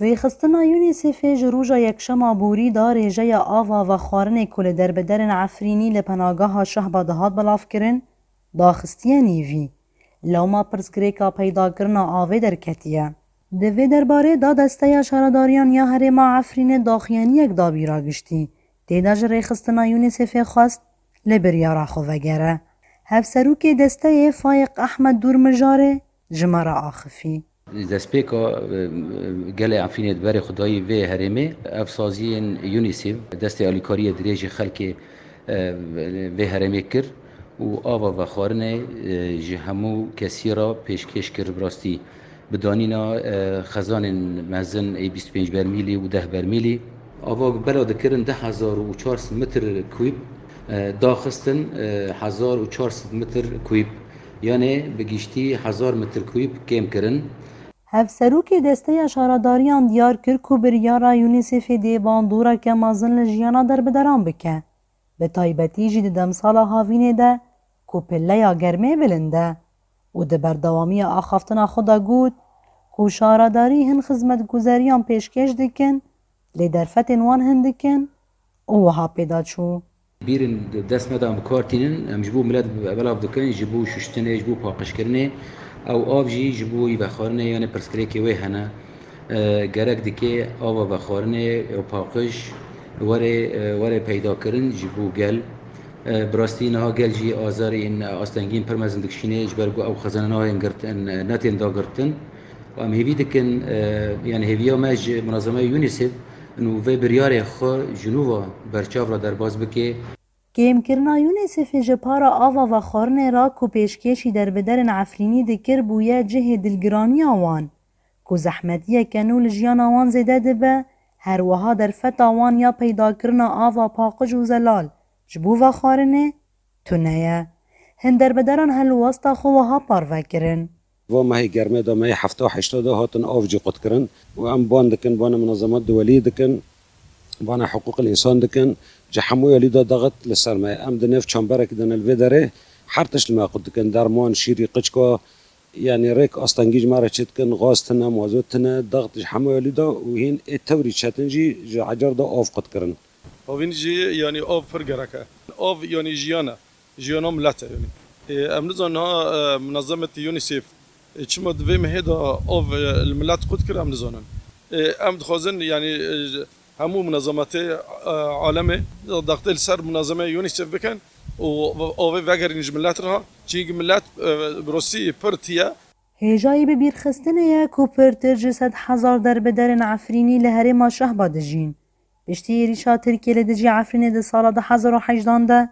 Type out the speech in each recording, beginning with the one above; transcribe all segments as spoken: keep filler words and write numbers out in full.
Rêxistina UNICEFê ji roja yekşema borî da rêjeya ava vexwarinê ku li derbiderên Efrînî li penageha Şehba dihat belavkirin, daxistiye nîvî. Lewma pirsgirêka peydakirina avê derketiye. Di vê derbarê da Desteya Şaredariyan ya Herêma Efrînê daxuyaniyek da bîra giştî. Tê de ji Rêxistina UNICEFê xwest li biryara xwe vegere. Hevserokê desteyê Fayiq Ehmed Dûrmijarê ji me re axifî. Destpêka, e, gelê Efrînê di berê xwe dayî vê herêmê, ev saziyên UNICEF destê alîkariyê dirêjî xelkê, e, vê herêmê kir û ava vexwarinê, e, ji hemû kesî re pêşkêş kir. Bi rastî bi danîna, e, xezanên mezin ê bîst pênc bermîlî û deh bermîlî. Ava bela dikirin du hezar û çar sed metr kûb, e, daxistin, e, hezar û çar sed metr kûb. Yanê bi giştî hezar metr kûb kêm kirin. Hevserokê Desteya Şaredariyan diyar kir ku biryara UNICEFê dê bandoreke mezin li jiyana derbideran bike. Bi taybetî jî di demsala havînê de ku pileya germê bilind e û di berdewamiya axaftina xwe de got ku şaredarî hin xizmetguzeriyan pêşkêş dikin, lê derfetên wan hin dikin û wiha pê de çû. Bîrin dest me de em bi kar tînin, em ji bo milet belav dikin, ji bo şuştinê, ji bo paqijkirinê, ew av jî ji bo wî vexwarinê, yanê pirsgirêkê wê hene. E, gerek dike ava vexwarinê, ew paqij were, e, were peydakirin ji bo gel. E, bi rastî niha gel jî azarên, e, astengiyên pir mezin dikişîne, ji ber ku ew xezane nayên girtin, e, netên dagirtin. Em hêvî dikin, e, yani hêviya me ji munazemeya UNICEF û vê biryarê xwe ji nû ve berçav re derbas bike. Kêmkirina UNICEFê ji para ava vexwarinê re ku pêşkêşî derbiderên Efrînî dikir bûye cihê dilgiraniya wan, ku zehmetiyeke nû li jiyana wan zêde dibe, her wiha derfeta wan ya peydakirina ava paqij û zelal ji bo vexwarinê tune ye. Hin derbideran helwesta xwe wiha parve kirin. Va mehê germê de, mehê hefta heşta de hatin av jî qutkirin û em ban dikin, bana munazemat duwelî dikin, bana hiqûqil însan dikin, ji hemû elî de daxit li ser me. Em di nêv çemberekî de ne li vê derê, her tişt li me qut dikin, derman, şîrî, qiçka, yanî rêk astengî ji me re çêdikin, gaz tine, mazot tine, daxit ji hemû elî de û hîn ê tewrî çetin jî ji ecar de av qutkirin. Havîn jî, yanî, av pir gerek e. Av, yanî, jiyan e. Jiyana milet e, yanî. Ê, em nizanin niha, e, munazemetê UNICEF, e, çima di vê mehê de av, e, li milet qut kir, em nizanin. Ê, em dixwazin, yanî, e, ji hemû munazemetê, e, alemê, daxtê li ser munazeme UNICEF bikin û avê vegerîn ji milet re. Çînkî milet, e, bi rastî pir tî ye. Hêjayî bibîrxistinê ye ku pirtir ji sed hezar derbiderên Efrînî li herêma Şehba dijîn. Piştî êrîşa Tirkiyê li dijî Efrînê di sala du hezar û hejdan de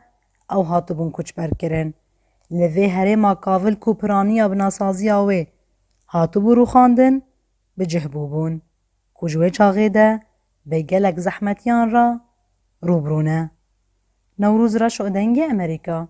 ew hatibûn koçberkirin. Li vê herêma Kavil ku piraniya binasaziya wê hatibû rûxandin, bi cih bûbûn, ku ji wê çaxê de bi gelek zehmetiyan re rû bi rû ne. Newroz Reşo, Dengê Amerîka.